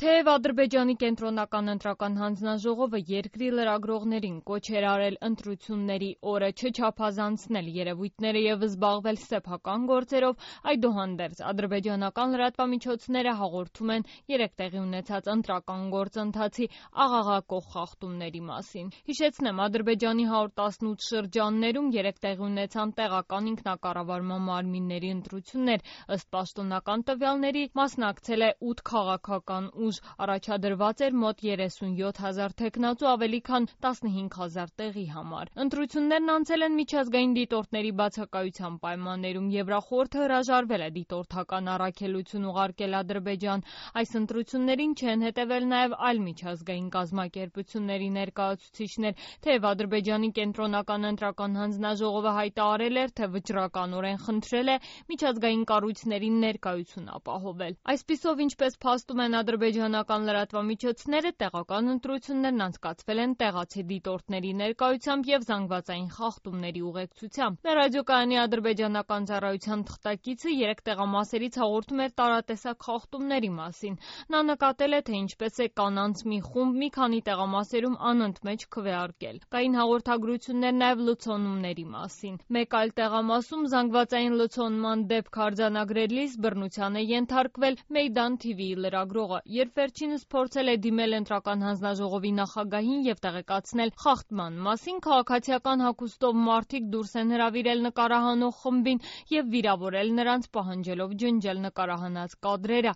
Թեև Ադրբեջանի կենտրոնական ընտրական հանձնաժողովը երկրի լրագրողներին կոչ էր արել ընտրությունների օրը չչափազանցնել երևույթները եւ զբաղվել սեփական գործերով, այդուհանդերձ ադրբեջանական լրատվամիջոցները հաղորդում են երեկ տեղի ունեցած ընտրական գործընթացի աղաղակող խախտումների մասին։ Հիշեցնեմ, Ադրբեջանի 118 շրջաններում երեկ տեղի ունեցան տեղական ինքնակառավարման մարմինների ընտրություններ, ըստ պաշտոնական տվյալների մասնակցել է 8 քաղաքական ուժ, առաջադրված էր մոտ 37,000 թեկնածու ավելի քան 15,000 տեղի համար։ Ընտրություններն անցել են միջազգային դիտորդների բացակայության պայմաններում, Եվրախորհուրդը հրաժարվել է դիտորդական առաքելություն ուղարկել Ադրբեջան։ Այս ընտրություններին չեն հետևել նաև այլ միջազգային կազմակերպությունների ներկայացուցիչներ, թեև Ադրբեջանի կենտրոնական ընտրական հանձնաժողովը հայտարարել էր, թե վճռականորեն խնդրել է միջազգային կառույցների ներկայություն ապահովել։ Այսպիսով, ինչպես փաստում են ադրբեջանական լրատվամիջոցները, տեղական ընտրություններն անցկացվել են տեղացի դիտորդների ներկայությամբ եւ զանգվածային խախտումների ուղեկցությամբ։ Մեր ռադիոկայանի ադրբեջանական ծառայության թղթակիցը երեք տեղամասերից հաղորդում էր տարատեսակ խախտումների մասին։ Նա նկատել է, թե ինչպես է կանանց մի խումբ մի քանի տեղամասերում անընդմեջ քվեարկել։ Կային հաղորդագրություններ նաև լցոնումների մասին։ Մեկ այլ տեղամասում զանգվածային լցոնման դեպք արձանագրելիս բռնության է ենթարկվել Մեյդան TV-ի լրագրողը, երբ վերջինս փորձել է դիմել ընտրական հանձնաժողովի նախագահին եւ տեղեկացնել խախտման մասին, քաղաքացիական հագուստով մարդիկ դուրս են հրավիրել նկարահանող խմբին եւ վիրավորել նրանց, պահանջելով ջնջել նկարահանած կադրերը։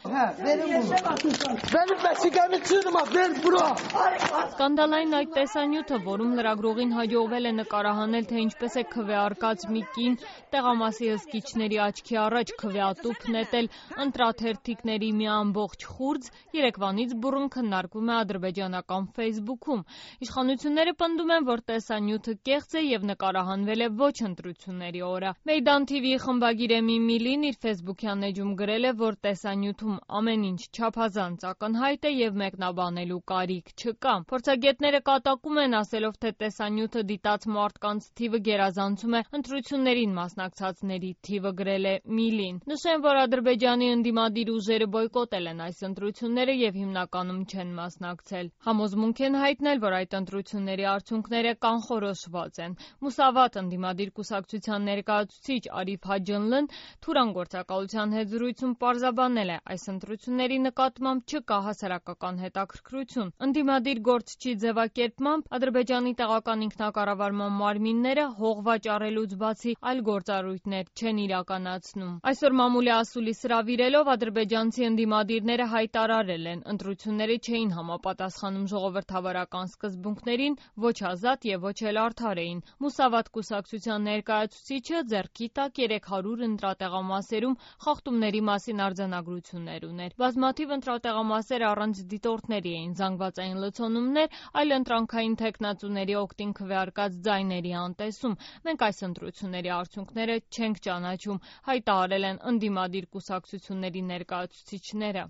Սկանդալային այդ տեսանյութը, որում լրագրողին հաջողվել է նկարահանել, թե ինչպես է քվեարկած մի կին տեղամասի հսկիչների աչքի առաջ քվեատուփ նետել ընտրաթերթիկների մի ամբողջ խուրձ, երեկվանից բուռն քննարկվում է ադրբեջանական Facebook-ում։ Իշխանությունները պնդում են, որ տեսանյութը կեղծ է եւ նկարահանվել է ոչ ընտրությունների օրը։ Մեյդան TV-ի խմբագիր Էմի Միլին իր Facebook-յան էջում գրել է, որ տեսանյութում ամեն ինչ չափազանց ակնհայտ է եւ մեկնաբանելու կարիք չկա։ Փորձագետները կատակում են, ասելով, թե տեսանյութը դիտած մարդկանց թիվը գերազանցում է ընտրություններին մասնակցածների թիվը, գրել է Միլին։ Նշեմ, որ Ադրբեջանի ընդդիմադիր ուժերը բոյկոտել են այս ընտրությունները եւ հիմնականում չեն մասնակցել։ Համոզմունք են հայտնել, որ այդ ընտրությունների արդյունքները կանխորոշված են։ Մուսավատ ընդդիմադիր կուսակցության ներկայացուցիչ Արիֆ Հաջընլն Թուրան գործակալության հետ զրույցում պարզաբանել է, այս ընտրությունների նկատմամբ չկա հասարակական հետաքրքրություն։ Ընդդիմադիր գործչի ձևակերպմամբ Ադրբեջանի տեղական ինքնակառավարման մարմինները հող վաճառելուց բացի այլ գործառույթներ չեն իրականացնում։ Այսօր մամուլի ասուլիս հրավիրելով ադրբեջանցի ընդդիմադիրները հայտարարել են, ընտրությունները չէին համապատասխանում ժողովրդավարական սկզբունքներին, ոչ ազատ եւ ոչ էլ արդար էին։ Մուսավատ կուսակցության ներկայացուցիչը ձեռքի տակ 300 ընտրատեղամասերում խախտումների մասին արձանագրություններ ուներ։ Բազմաթիվ ընտրատեղամասեր առանց դիտորդների էին, զանգվածային լցոնումներ, այլ ընտրանքային թեկնածուների օգտին քվեարկած ձայների անտեսում։ Մենք այս ընտրությունների արդյունքները չենք ճանաչում, հայտարարել են ընդդիմադիր կուսակցությունների ներկայացուցիչները։